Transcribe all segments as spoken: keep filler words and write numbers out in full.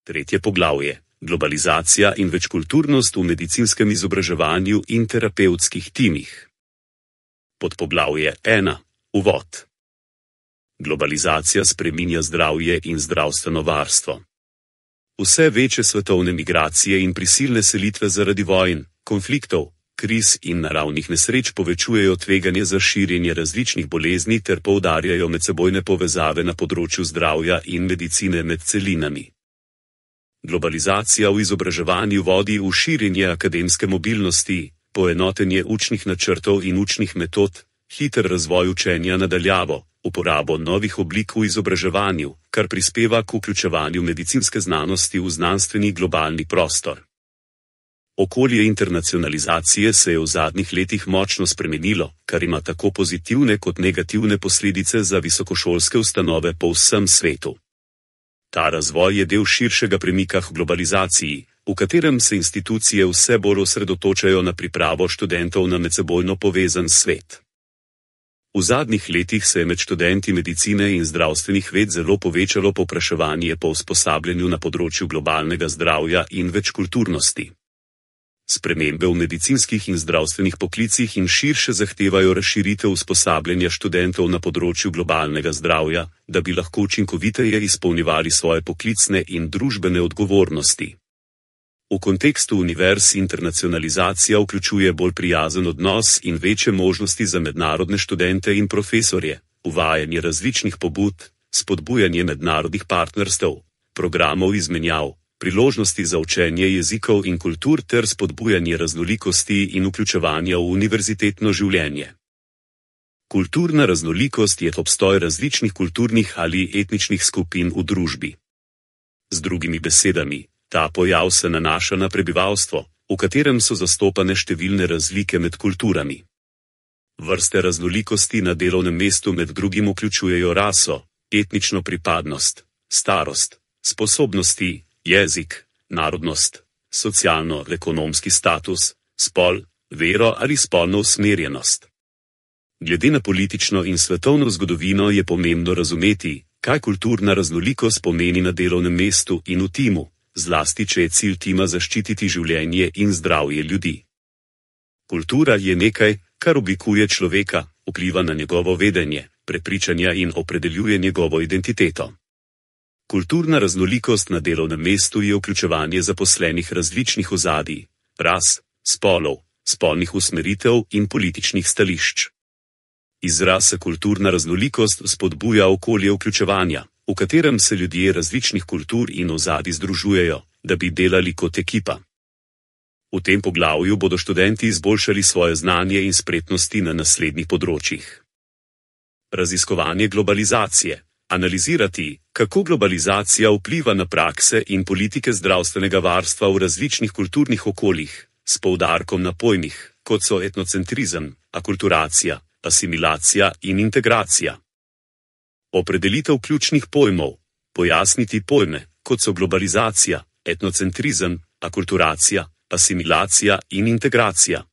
Tretje poglavje. Globalizacija in večkulturnost v medicinskem izobraževanju in terapevtskih timih. Podpoglavje ena. Uvod. Globalizacija spreminja zdravje in zdravstveno varstvo. Vse večje svetovne migracije in prisilne selitve zaradi vojn, konfliktov, kriz in naravnih nesreč povečujejo tveganje za širjenje različnih bolezni ter poudarjajo medsebojne povezave na področju zdravja in medicine med celinami. Globalizacija v izobraževanju vodi v širjenje akademske mobilnosti, poenotenje učnih načrtov in učnih metod, hiter razvoj učenja na daljavo, uporabo novih oblik v izobraževanju, kar prispeva k vključevanju medicinske znanosti v znanstveni globalni prostor. Okolje internacionalizacije se je v zadnjih letih močno spremenilo, kar ima tako pozitivne kot negativne posledice za visokošolske ustanove po vsem svetu. Ta razvoj je del širšega premika k globalizaciji, v katerem se institucije vse bolj osredotočajo na pripravo študentov na medsebojno povezan svet. V zadnjih letih se je med študenti medicine in zdravstvenih ved zelo povečalo povpraševanje po usposabljanju na področju globalnega zdravja in večkulturnosti. Spremembe v medicinskih in zdravstvenih poklicih in širše zahtevajo razširitev usposabljanja študentov na področju globalnega zdravja, da bi lahko učinkoviteje izpolnjevali svoje poklicne in družbene odgovornosti. V kontekstu univerz internacionalizacija vključuje bolj prijazen odnos in večje možnosti za mednarodne študente in profesorje, uvajanje različnih pobud, spodbujanje mednarodnih partnerstev, programov izmenjav, priložnosti za učenje jezikov in kultur ter spodbujanje raznolikosti in vključevanja v univerzitetno življenje. Kulturna raznolikost je obstoj različnih kulturnih ali etničnih skupin v družbi. Z drugimi besedami, ta pojav se nanaša na prebivalstvo, v katerem so zastopane številne razlike med kulturami. Vrste raznolikosti na delovnem mestu med drugim vključujejo raso, etnično pripadnost, starost, sposobnosti, jezik, narodnost, socialno-ekonomski status, spol, vero ali spolno usmerjenost. Glede na politično in svetovno zgodovino je pomembno razumeti, kaj kulturna raznolikost pomeni na delovnem mestu in v timu, zlasti če je cilj tima zaščititi življenje in zdravje ljudi. Kultura je nekaj, kar oblikuje človeka, vpliva na njegovo vedenje, prepričanja in opredeljuje njegovo identiteto. Kulturna raznolikost na delovnem mestu je vključevanje zaposlenih različnih ozadij, ras, spolov, spolnih usmeritev in političnih stališč. Izraz kulturna raznolikost spodbuja okolje vključevanja, v katerem se ljudje različnih kultur in ozadij združujejo, da bi delali kot ekipa. V tem poglavju bodo študenti izboljšali svoje znanje in spretnosti na naslednjih področjih. Raziskovanje globalizacije. Analizirati, kako globalizacija vpliva na prakse in politike zdravstvenega varstva v različnih kulturnih okoljih, s poudarkom na pojmih, kot so etnocentrizem, akulturacija, asimilacija in integracija. Opredelitev ključnih pojmov, pojasniti pojme, kot so globalizacija, etnocentrizem, akulturacija, asimilacija in integracija.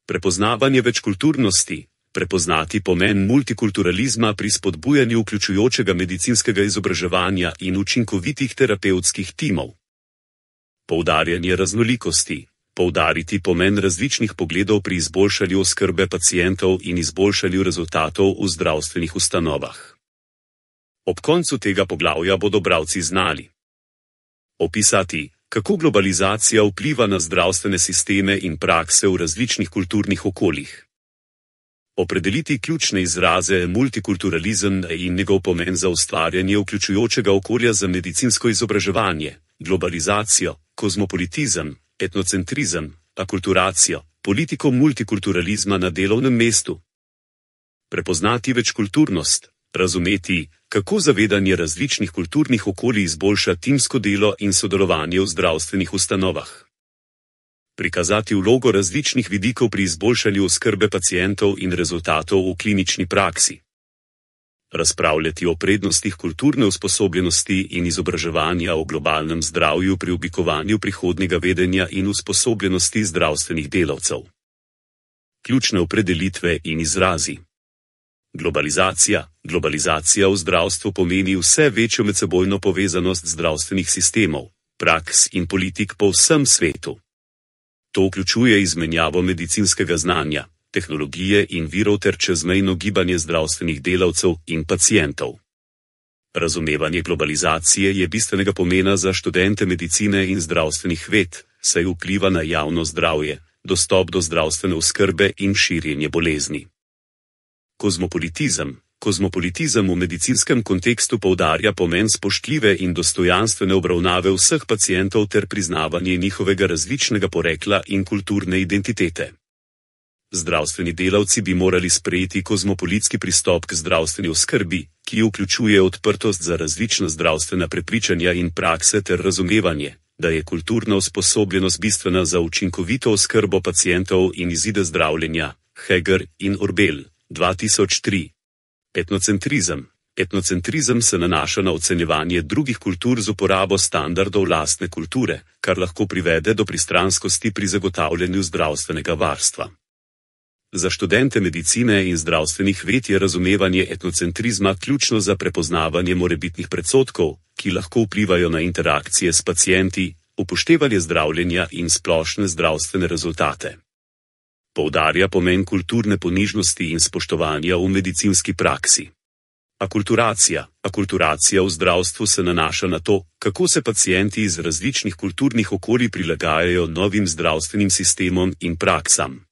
Prepoznavanje večkulturnosti. Prepoznati pomen multikulturalizma pri spodbujanju vključujočega medicinskega izobraževanja in učinkovitih terapevtskih timov. Poudarjanje raznolikosti. Poudariti pomen različnih pogledov pri izboljšanju oskrbe pacientov in izboljšanju rezultatov v zdravstvenih ustanovah. Ob koncu tega poglavja bodo bralci znali opisati, kako globalizacija vpliva na zdravstvene sisteme in prakse v različnih kulturnih okoljih. Opredeliti ključne izraze multikulturalizem in njegov pomen za ustvarjanje vključujočega okolja za medicinsko izobraževanje, globalizacijo, kozmopolitizem, etnocentrizem, akulturacijo, politiko multikulturalizma na delovnem mestu. Prepoznati večkulturnost, razumeti, kako zavedanje različnih kulturnih okolij izboljša timsko delo in sodelovanje v zdravstvenih ustanovah. Prikazati vlogo različnih vidikov pri izboljšanju oskrbe pacientov in rezultatov v klinični praksi. Razpravljati o prednostih kulturne usposobljenosti in izobraževanja o globalnem zdravju pri oblikovanju prihodnjega vedenja in usposobljenosti zdravstvenih delavcev. Ključne opredelitve in izrazi. Globalizacija. Globalizacija v zdravstvu pomeni vse večjo medsebojno povezanost zdravstvenih sistemov, praks in politik po vsem svetu. To vključuje izmenjavo medicinskega znanja, tehnologije in virov ter čezmejno gibanje zdravstvenih delavcev in pacientov. Razumevanje globalizacije je bistvenega pomena za študente medicine in zdravstvenih ved, saj vpliva na javno zdravje, dostop do zdravstvene oskrbe in širjenje bolezni. Kozmopolitizem. Kozmopolitizem v medicinskem kontekstu poudarja pomen spoštljive in dostojanstvene obravnave vseh pacientov ter priznavanje njihovega različnega porekla in kulturne identitete. Zdravstveni delavci bi morali sprejeti kozmopolitski pristop k zdravstveni oskrbi, ki vključuje odprtost za različna zdravstvena prepričanja in prakse ter razumevanje, da je kulturna usposobljenost bistvena za učinkovito oskrbo pacientov in izide zdravljenja. Heger in Orbel, dva tisoč tri. Etnocentrizem. Etnocentrizem se nanaša na ocenjevanje drugih kultur z uporabo standardov lastne kulture, kar lahko privede do pristranskosti pri zagotavljanju zdravstvenega varstva. Za študente medicine in zdravstvenih ved je razumevanje etnocentrizma ključno za prepoznavanje morebitnih predsodkov, ki lahko vplivajo na interakcije s pacienti, upoštevanje zdravljenja in splošne zdravstvene rezultate. Poudarja pomen kulturne ponižnosti in spoštovanja v medicinski praksi. Akulturacija. Akulturacija v zdravstvu se nanaša na to, kako se pacienti iz različnih kulturnih okolij prilagajajo novim zdravstvenim sistemom in praksam.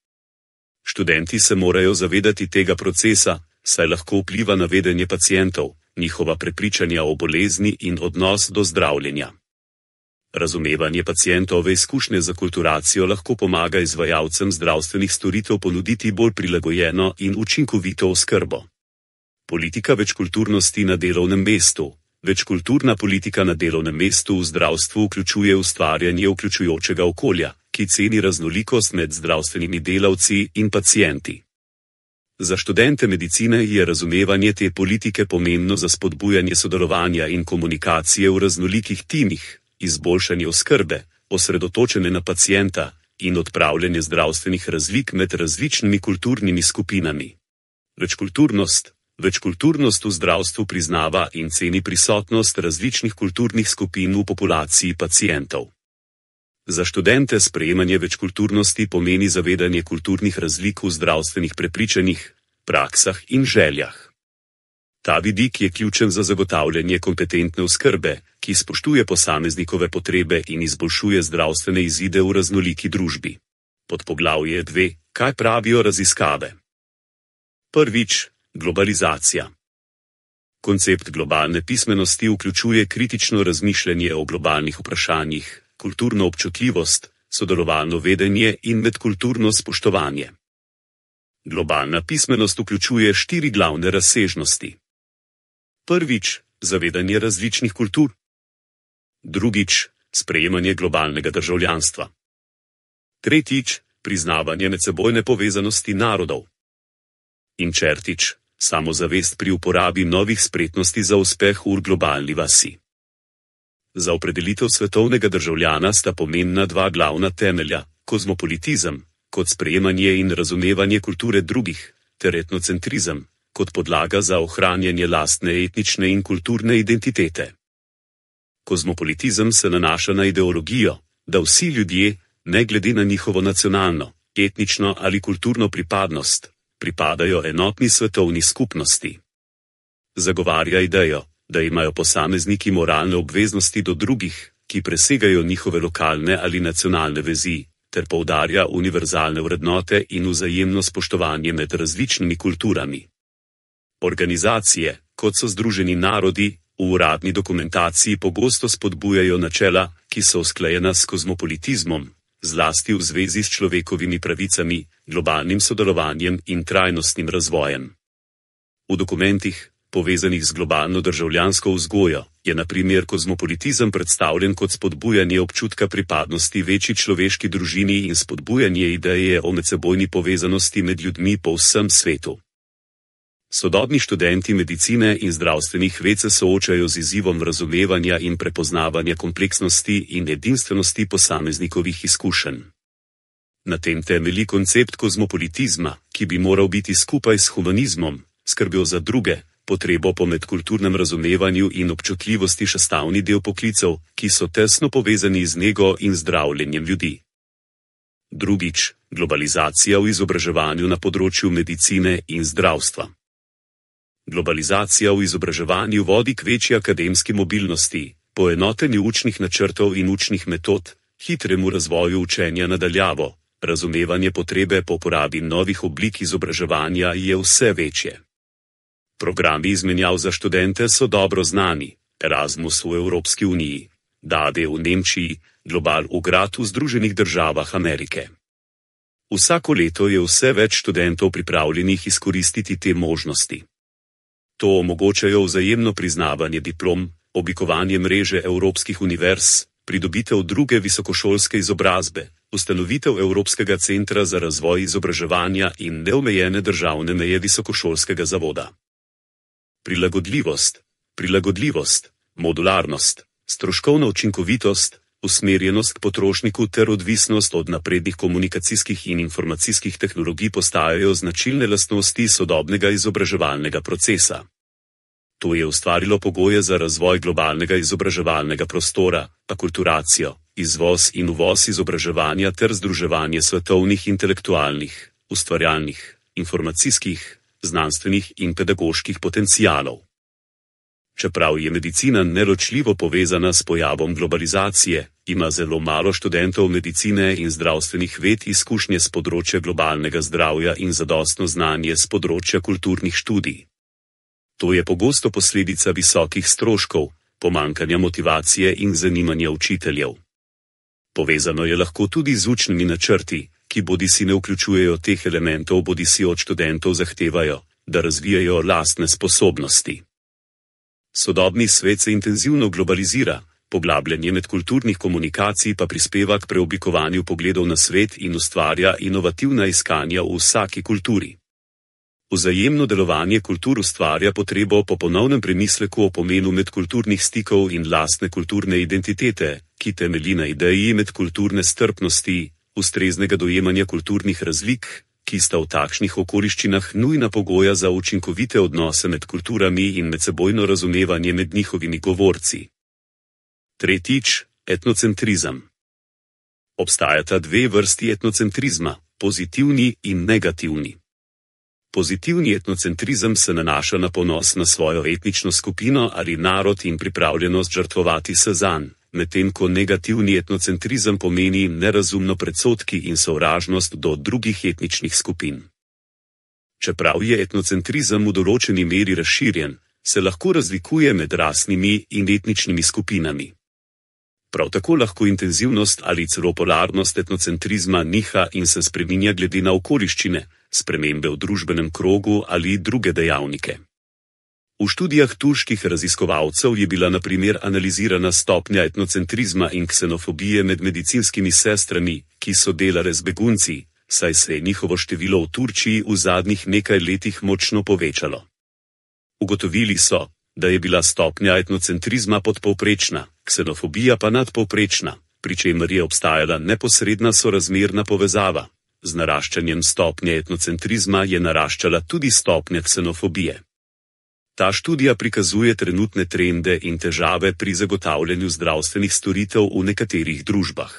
Študenti se morajo zavedati tega procesa, saj lahko vpliva na vedenje pacientov, njihova prepričanja o bolezni in odnos do zdravljenja. Razumevanje pacientove izkušnje z akulturacijo lahko pomaga izvajalcem zdravstvenih storitev ponuditi bolj prilagojeno in učinkovito oskrbo. Politika večkulturnosti na delovnem mestu. Večkulturna politika na delovnem mestu v zdravstvu vključuje ustvarjanje vključujočega okolja, ki ceni raznolikost med zdravstvenimi delavci in pacienti. Za študente medicine je razumevanje te politike pomembno za spodbujanje sodelovanja in komunikacije v raznolikih timih, izboljšanje oskrbe, osredotočene na pacienta in odpravljanje zdravstvenih razlik med različnimi kulturnimi skupinami. Večkulturnost. Večkulturnost v zdravstvu priznava in ceni prisotnost različnih kulturnih skupin v populaciji pacientov. Za študente sprejemanje večkulturnosti pomeni zavedanje kulturnih razlik v zdravstvenih prepričanjih, praksah in željah. Ta vidik je ključen za zagotavljanje kompetentne oskrbe, ki spoštuje posameznikove potrebe in izboljšuje zdravstvene izide v raznoliki družbi. Podpoglavje dve. Kaj pravijo raziskave? Prvič. Globalizacija. Koncept globalne pismenosti vključuje kritično razmišljanje o globalnih vprašanjih, kulturno občutljivost, sodelovalno vedenje in medkulturno spoštovanje. Globalna pismenost vključuje štiri glavne razsežnosti. Prvič, zavedanje različnih kultur. Drugič, sprejemanje globalnega državljanstva. Tretjič, priznavanje medsebojne povezanosti narodov. In četrtič, samozavest pri uporabi novih spretnosti za uspeh v globalni vasi. Za opredelitev svetovnega državljana sta pomembna dva glavna temelja, kozmopolitizem, kot sprejemanje in razumevanje kulture drugih, ter etnocentrizem, kot podlaga za ohranjanje lastne etnične in kulturne identitete. Kozmopolitizem se nanaša na ideologijo, da vsi ljudje, ne glede na njihovo nacionalno, etnično ali kulturno pripadnost, pripadajo enotni svetovni skupnosti. Zagovarja idejo, da imajo posamezniki moralne obveznosti do drugih, ki presegajo njihove lokalne ali nacionalne vezi, ter poudarja univerzalne vrednote in vzajemno spoštovanje med različnimi kulturami. Organizacije, kot so Združeni narodi, v uradni dokumentaciji pogosto spodbujajo načela, ki so usklajena s kozmopolitizmom, zlasti v zvezi s človekovimi pravicami, globalnim sodelovanjem in trajnostnim razvojem. V dokumentih, povezanih z globalno državljansko vzgojo, je na primer kozmopolitizem predstavljen kot spodbujanje občutka pripadnosti večji človeški družini in spodbujanje ideje o medsebojni povezanosti med ljudmi po vsem svetu. Sodobni študenti medicine in zdravstvenih ved se soočajo z izzivom razumevanja in prepoznavanja kompleksnosti in edinstvenosti posameznikovih izkušenj. Na tem temelji koncept kozmopolitizma, ki bi moral biti skupaj s humanizmom, skrbjo za druge, potrebo po medkulturnem razumevanju in občutljivosti še sestavni del poklicev, ki so tesno povezani z nego in zdravljenjem ljudi. Drugič, globalizacija v izobraževanju na področju medicine in zdravstva. Globalizacija v izobraževanju vodi k večji akademski mobilnosti, poenotenju učnih načrtov in učnih metod, hitremu razvoju učenja na daljavo, razumevanje potrebe po uporabi novih oblik izobraževanja je vse večje. Programi izmenjav za študente so dobro znani, Erasmus v Evropski uniji, D A D v Nemčiji, Global v Grad v Združenih državah Amerike. Vsako leto je vse več študentov pripravljenih izkoristiti te možnosti. To omogočajo vzajemno priznavanje diplom, oblikovanje mreže evropskih univerz, pridobitev druge visokošolske izobrazbe, ustanovitev Evropskega centra za razvoj izobraževanja in neomejene državne meje visokošolskega zavoda. Prilagodljivost, prilagodljivost, modularnost, stroškovna učinkovitost, usmerjenost k potrošniku ter odvisnost od naprednih komunikacijskih in informacijskih tehnologij postajajo značilne lastnosti sodobnega izobraževalnega procesa. To je ustvarilo pogoje za razvoj globalnega izobraževalnega prostora, akulturacijo, izvoz in uvoz izobraževanja ter združevanje svetovnih intelektualnih, ustvarjalnih, informacijskih, znanstvenih in pedagoških potencialov. Čeprav je medicina neločljivo povezana s pojavom globalizacije, ima zelo malo študentov medicine in zdravstvenih ved izkušnje s področja globalnega zdravja in zadostno znanje s področja kulturnih študij. To je pogosto posledica visokih stroškov, pomanjkanja motivacije in zanimanja učiteljev. Povezano je lahko tudi z učnimi načrti, ki bodisi ne vključujejo teh elementov, bodisi od študentov zahtevajo, da razvijajo lastne sposobnosti. Sodobni svet se intenzivno globalizira, poglabljanje medkulturnih komunikacij pa prispeva k preoblikovanju pogledov na svet in ustvarja inovativna iskanja v vsaki kulturi. Vzajemno delovanje kultur ustvarja potrebo po ponovnem premisleku o pomenu medkulturnih stikov in lastne kulturne identitete, ki temelji na ideji medkulturne strpnosti, ustreznega dojemanja kulturnih razlik, ki sta v takšnih okoliščinah nujna pogoja za učinkovite odnose med kulturami in medsebojno razumevanje med njihovimi govorci. Tretjič, etnocentrizem. Obstajata dve vrsti etnocentrizma, pozitivni in negativni. Pozitivni etnocentrizem se nanaša na ponos na svojo etnično skupino ali narod in pripravljenost žrtvovati se zanj, medtem ko negativni etnocentrizem pomeni nerazumno predsodki in sovražnost do drugih etničnih skupin. Čeprav je etnocentrizem v določeni meri razširjen, se lahko razlikuje med rasnimi in etničnimi skupinami. Prav tako lahko intenzivnost ali celo polarnost etnocentrizma niha in se spreminja glede na okoliščine, spremembe v družbenem krogu ali druge dejavnike. V študijah turških raziskovalcev je bila na primer analizirana stopnja etnocentrizma in ksenofobije med medicinskimi sestrami, ki so delale z begunci, saj se je njihovo število v Turčiji v zadnjih nekaj letih močno povečalo. Ugotovili so, da je bila stopnja etnocentrizma podpovprečna, ksenofobija pa nadpovprečna, pri čemer je obstajala neposredna sorazmerna povezava. Z naraščanjem stopnje etnocentrizma je naraščala tudi stopnja ksenofobije. Ta študija prikazuje trenutne trende in težave pri zagotavljanju zdravstvenih storitev v nekaterih družbah.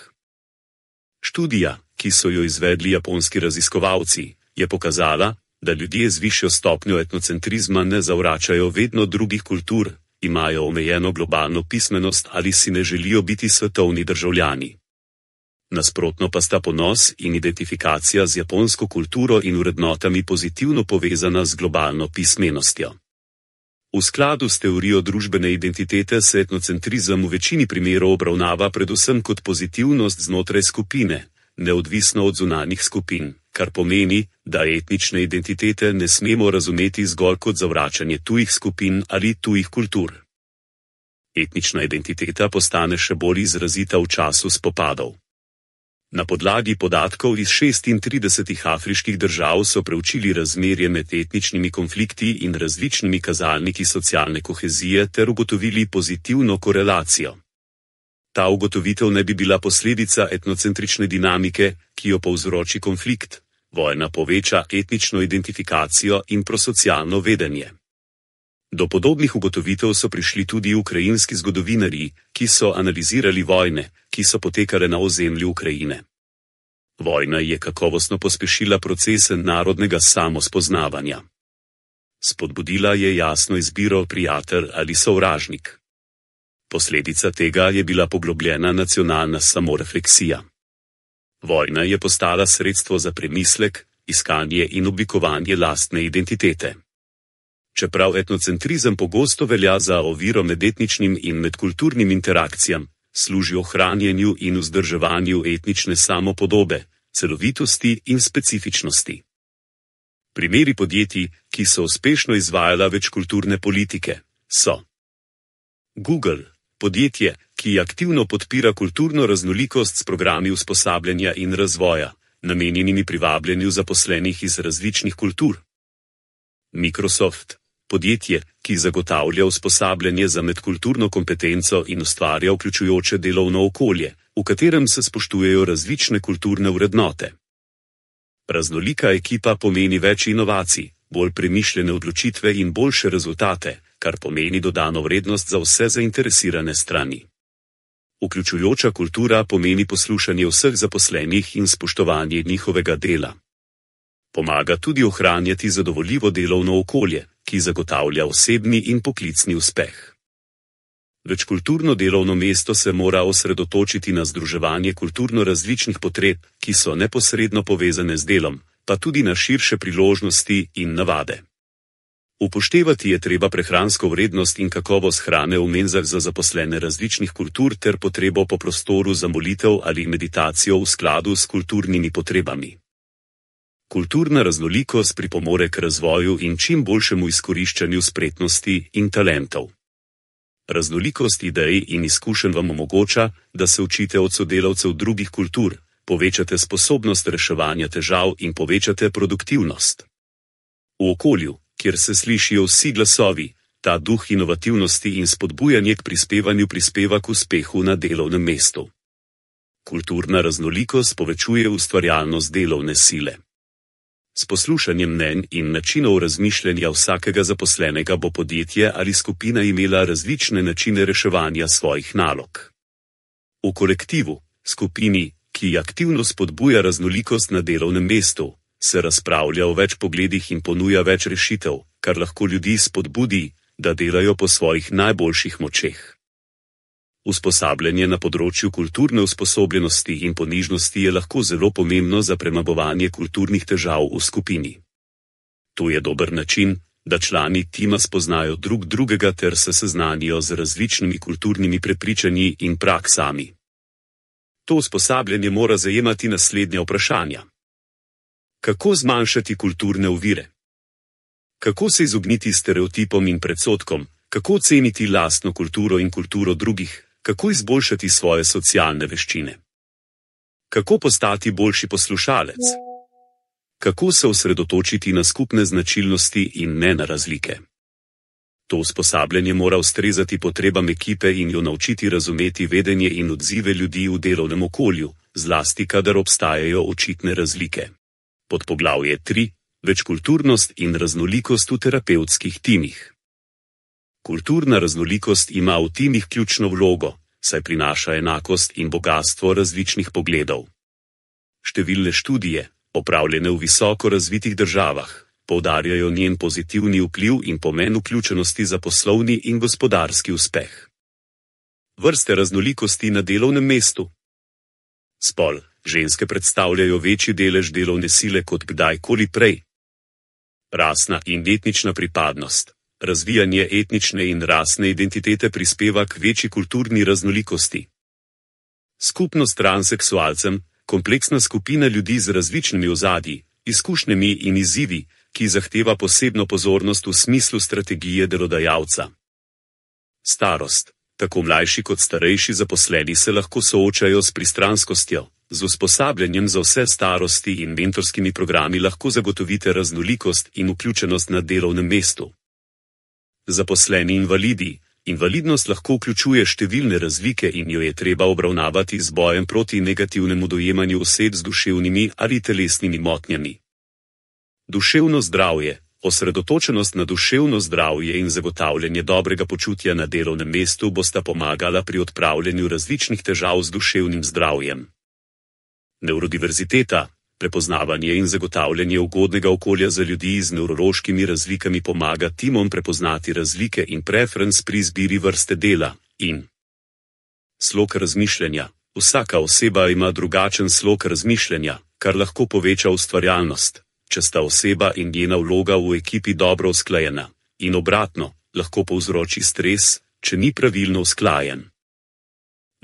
Študija, ki so jo izvedli japonski raziskovalci, je pokazala, da ljudje z višjo stopnjo etnocentrizma ne zavračajo vedno drugih kultur, imajo omejeno globalno pismenost ali si ne želijo biti svetovni državljani. Nasprotno pa sta ponos in identifikacija z japonsko kulturo in vrednotami pozitivno povezana z globalno pismenostjo. V skladu s teorijo družbene identitete se etnocentrizem v večini primerov obravnava predvsem kot pozitivnost znotraj skupine, neodvisno od zunanjih skupin, kar pomeni, da etnične identitete ne smemo razumeti zgolj kot zavračanje tujih skupin ali tujih kultur. Etnična identiteta postane še bolj izrazita v času spopadov. Na podlagi podatkov iz šestintridesetih afriških držav so preučili razmerje med etničnimi konflikti in različnimi kazalniki socialne kohezije ter ugotovili pozitivno korelacijo. Ta ugotovitev ne bi bila posledica etnocentrične dinamike, ki jo povzroči konflikt, Vojna poveča etnično identifikacijo in prosocialno vedenje. Do podobnih ugotovitev so prišli tudi ukrajinski zgodovinarji, ki so analizirali vojne, ki so potekale na ozemlju Ukrajine. Vojna je kakovostno pospešila proces narodnega samospoznavanja. Spodbudila je jasno izbiro prijatelj ali sovražnik. Posledica tega je bila poglobljena nacionalna samorefleksija. Vojna je postala sredstvo za premislek, iskanje in oblikovanje lastne identitete. Čeprav etnocentrizem pogosto velja za oviro med etničnim in medkulturnim interakcijam, služi ohranjanju in vzdrževanju etnične samopodobe, celovitosti in specifičnosti. Primeri podjetij, ki so uspešno izvajala večkulturne politike, so Google, podjetje, ki aktivno podpira kulturno raznolikost s programi usposabljanja in razvoja, namenjenimi privabljanju zaposlenih iz različnih kultur. Microsoft, podjetje, ki zagotavlja usposabljanje za medkulturno kompetenco in ustvarja vključujoče delovno okolje, v katerem se spoštujejo različne kulturne vrednote. Raznolika ekipa pomeni več inovacij, bolj premišljene odločitve in boljše rezultate, kar pomeni dodano vrednost za vse zainteresirane strani. Vključujoča kultura pomeni poslušanje vseh zaposlenih in spoštovanje njihovega dela. Pomaga tudi ohranjati zadovoljivo delovno okolje, ki zagotavlja osebni in poklicni uspeh. Večkulturno delovno mesto se mora osredotočiti na združevanje kulturno različnih potreb, ki so neposredno povezane z delom, pa tudi na širše priložnosti in navade. Upoštevati je treba prehransko vrednost in kakovost hrane v menzah za zaposlene različnih kultur ter potrebo po prostoru za molitev ali meditacijo v skladu s kulturnimi potrebami. Kulturna raznolikost pripomore k razvoju in čim boljšemu izkoriščanju spretnosti in talentov. Raznolikost idej in izkušenj vam omogoča, da se učite od sodelavcev drugih kultur, povečate sposobnost reševanja težav in povečate produktivnost. V okolju, kjer se slišijo vsi glasovi, ta duh inovativnosti in spodbujanje k prispevanju prispeva k uspehu na delovnem mestu. Kulturna raznolikost povečuje ustvarjalnost delovne sile. S poslušanjem mnenj in načinov razmišljanja vsakega zaposlenega bo podjetje ali skupina imela različne načine reševanja svojih nalog. V kolektivu, skupini, ki aktivno spodbuja raznolikost na delovnem mestu, se razpravlja o več pogledih in ponuja več rešitev, kar lahko ljudi spodbudi, da delajo po svojih najboljših močeh. Usposabljanje na področju kulturne usposobljenosti in ponižnosti je lahko zelo pomembno za premagovanje kulturnih težav v skupini. To je dober način, da člani tima spoznajo drug drugega ter se seznanijo z različnimi kulturnimi prepričanji in praksami. To usposabljanje mora zajemati naslednja vprašanja. Kako zmanjšati kulturne ovire? Kako se izogniti stereotipom in predsodkom, kako ceniti lastno kulturo in kulturo drugih, kako izboljšati svoje socialne veščine? Kako postati boljši poslušalec? Kako se osredotočiti na skupne značilnosti in ne na razlike? To usposabljanje mora ustrezati potrebam ekipe in jo naučiti razumeti vedenje in odzive ljudi v delovnem okolju, zlasti kadar obstajajo očitne razlike. Podpoglavje tri. Večkulturnost in raznolikost v terapevtskih timih. Kulturna raznolikost ima v timih ključno vlogo, saj prinaša enakost in bogastvo različnih pogledov. Številne študije, opravljene v visoko razvitih državah, poudarjajo njen pozitivni vpliv in pomen vključenosti za poslovni in gospodarski uspeh. Vrste raznolikosti na delovnem mestu. Spol, ženske predstavljajo večji delež delovne sile kot kdajkoli prej. Rasna in etnična pripadnost. Razvijanje etnične in rasne identitete prispeva k večji kulturni raznolikosti. Skupnost transseksualcem, kompleksna skupina ljudi z različnimi ozadji, izkušnjami in izzivi, ki zahteva posebno pozornost v smislu strategije delodajalca. Starost. Tako mlajši kot starejši zaposleni se lahko soočajo s pristranskostjo. Z usposabljanjem za vse starosti in mentorskimi programi lahko zagotovite raznolikost in vključenost na delovnem mestu. Zaposleni invalidi. Invalidnost lahko vključuje številne razlike in jo je treba obravnavati z bojem proti negativnemu dojemanju oseb z duševnimi ali telesnimi motnjami. Duševno zdravje. Osredotočenost na duševno zdravje in zagotavljanje dobrega počutja na delovnem mestu bosta pomagala pri odpravljanju različnih težav z duševnim zdravjem. Neurodiverziteta. Prepoznavanje in zagotavljanje ugodnega okolja za ljudi z nevrološkimi razlikami pomaga timom prepoznati razlike in preference pri izbiri vrste dela in slog razmišljanja. Vsaka oseba ima drugačen slog razmišljanja, kar lahko poveča ustvarjalnost, če sta oseba in njena vloga v ekipi dobro usklajena, in obratno, lahko povzroči stres, če ni pravilno usklajen.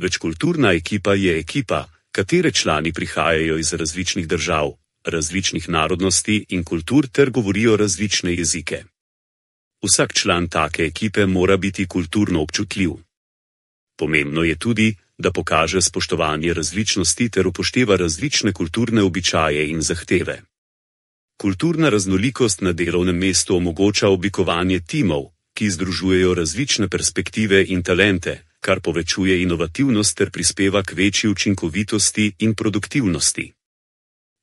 Večkulturna ekipa je ekipa, katere člani prihajajo iz različnih držav, različnih narodnosti in kultur ter govorijo različne jezike. Vsak član take ekipe mora biti kulturno občutljiv. Pomembno je tudi, da pokaže spoštovanje različnosti ter upošteva različne kulturne običaje in zahteve. Kulturna raznolikost na delovnem mestu omogoča oblikovanje timov, ki združujejo različne perspektive in talente, kar povečuje inovativnost ter prispeva k večji učinkovitosti in produktivnosti.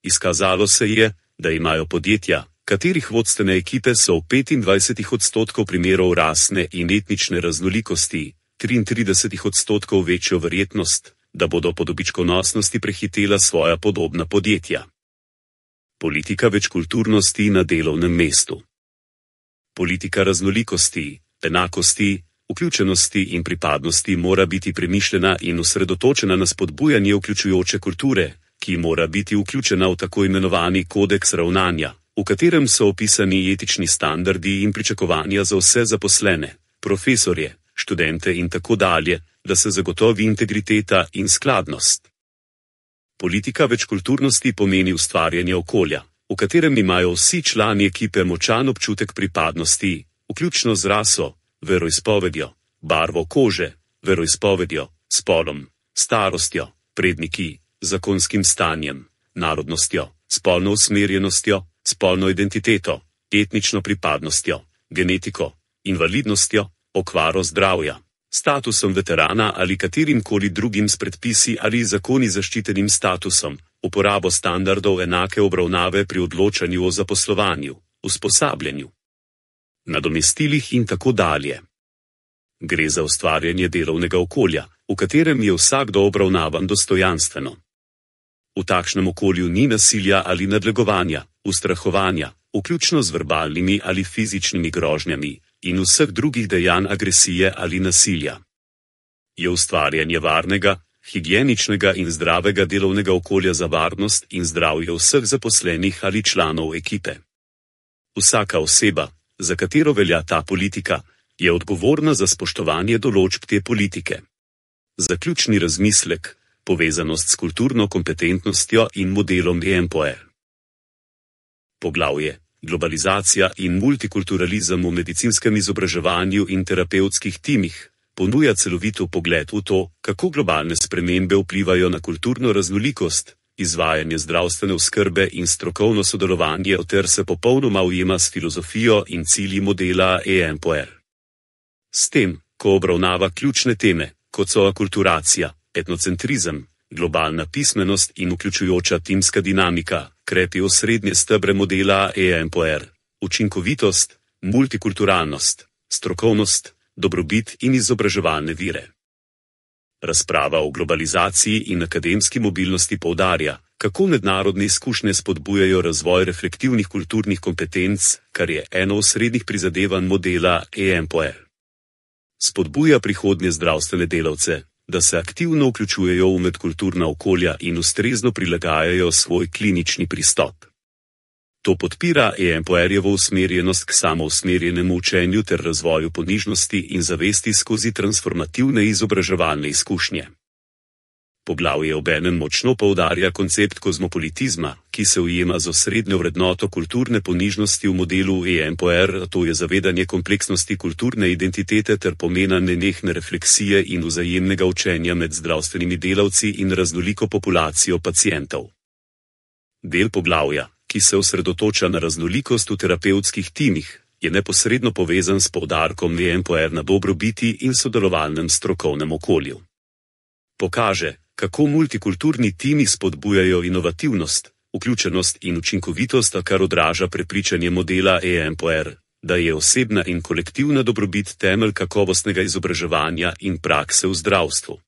Izkazalo se je, da imajo podjetja, katerih vodstvene ekipe so v petindvajsetih odstotkov primerov rasne in etnične raznolikosti, triintridesetih odstotkov večjo verjetnost, da bodo po dobičkonosnosti prehitela svoja podobna podjetja. Politika večkulturnosti na delovnem mestu. Politika raznolikosti, enakosti, vključenosti in pripadnosti mora biti premišljena in osredotočena na spodbujanje vključujoče kulture, ki mora biti vključena v tako imenovani kodeks ravnanja, v katerem so opisani etični standardi in pričakovanja za vse zaposlene, profesorje, študente in tako dalje, da se zagotovi integriteta in skladnost. Politika večkulturnosti pomeni ustvarjanje okolja, v katerem imajo vsi člani ekipe močan občutek pripadnosti, vključno z raso, veroizpovedjo, barvo kože, veroizpovedjo, spolom, starostjo, predniki, zakonskim stanjem, narodnostjo, spolno usmerjenostjo, spolno identiteto, etnično pripadnostjo, genetiko, invalidnostjo, okvaro zdravja, statusom veterana ali katerimkoli drugim s predpisi ali zakoni zaščitenim statusom, uporabo standardov enake obravnave pri odločanju o zaposlovanju, usposabljanju, nadomestilih in tako dalje. Gre za ustvarjanje delovnega okolja, v katerem je vsakdo obravnavan dostojanstveno. V takšnem okolju ni nasilja ali nadlegovanja, ustrahovanja, vključno z verbalnimi ali fizičnimi grožnjami, in vseh drugih dejanj agresije ali nasilja. Je ustvarjanje varnega, higieničnega in zdravega delovnega okolja za varnost in zdravje vseh zaposlenih ali članov ekipe. Vsaka oseba, za katero velja ta politika, je odgovorna za spoštovanje določb te politike. Zaključni razmislek, povezanost s kulturno kompetentnostjo in modelom E M P O R. Poglavje: Globalizacija in multikulturalizem v medicinskem izobraževanju in terapevtskih timih ponuja celovito pogled v to, kako globalne spremembe vplivajo na kulturno raznolikost, izvajanje zdravstvene oskrbe in strokovno sodelovanje ter se popolnoma ujema s filozofijo in cilji modela E M P O R. S tem, ko obravnava ključne teme, kot so akulturacija, etnocentrizem, globalna pismenost in vključujoča timska dinamika, krepi osrednje stebre modela E M P O R, učinkovitost, multikulturalnost, strokovnost, dobrobit in izobraževalne vire. Razprava o globalizaciji in akademski mobilnosti poudarja, kako mednarodne izkušnje spodbujajo razvoj reflektivnih kulturnih kompetenc, kar je eno osrednjih prizadevanj modela E M P O R. Spodbuja prihodnje zdravstvene delavce, da se aktivno vključujejo v medkulturna okolja in ustrezno prilagajajo svoj klinični pristop. To podpira E M P O R-jevo usmerjenost k samousmerjenemu učenju ter razvoju ponižnosti in zavesti skozi transformativne izobraževalne izkušnje. Poglavje obenem močno poudarja koncept kozmopolitizma, ki se ujema z osrednjo vrednoto kulturne ponižnosti v modelu E M P O R, to je zavedanje kompleksnosti kulturne identitete ter pomena nenehne refleksije in vzajemnega učenja med zdravstvenimi delavci in raznoliko populacijo pacientov. Del poglavja, ki se osredotoča na raznolikost v terapevtskih timih, je neposredno povezan s poudarkom E M P O R na dobrobiti in sodelovalnem strokovnem okolju. Pokaže, kako multikulturni timi spodbujajo inovativnost, vključenost in učinkovitost, kar odraža prepričanje modela E M P O R, da je osebna in kolektivna dobrobit temelj kakovostnega izobraževanja in prakse v zdravstvu.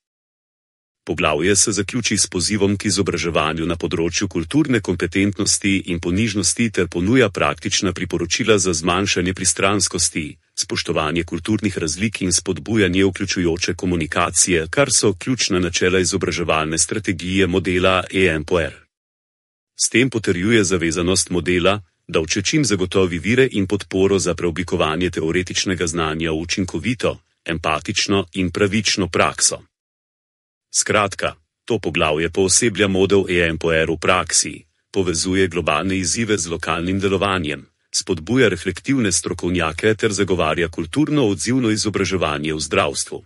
Poglavje se zaključi s pozivom k izobraževanju na področju kulturne kompetentnosti in ponižnosti ter ponuja praktična priporočila za zmanjšanje pristranskosti, spoštovanje kulturnih razlik in spodbujanje vključujoče komunikacije, kar so ključna načela izobraževalne strategije modela E M P O R. S tem potrjuje zavezanost modela, da učečim zagotovi vire in podporo za preoblikovanje teoretičnega znanja v učinkovito, empatično in pravično prakso. Skratka, to poglavje pooseblja model E M P O R v praksi, povezuje globalne izzive z lokalnim delovanjem, spodbuja reflektivne strokovnjake ter zagovarja kulturno odzivno izobraževanje v zdravstvu.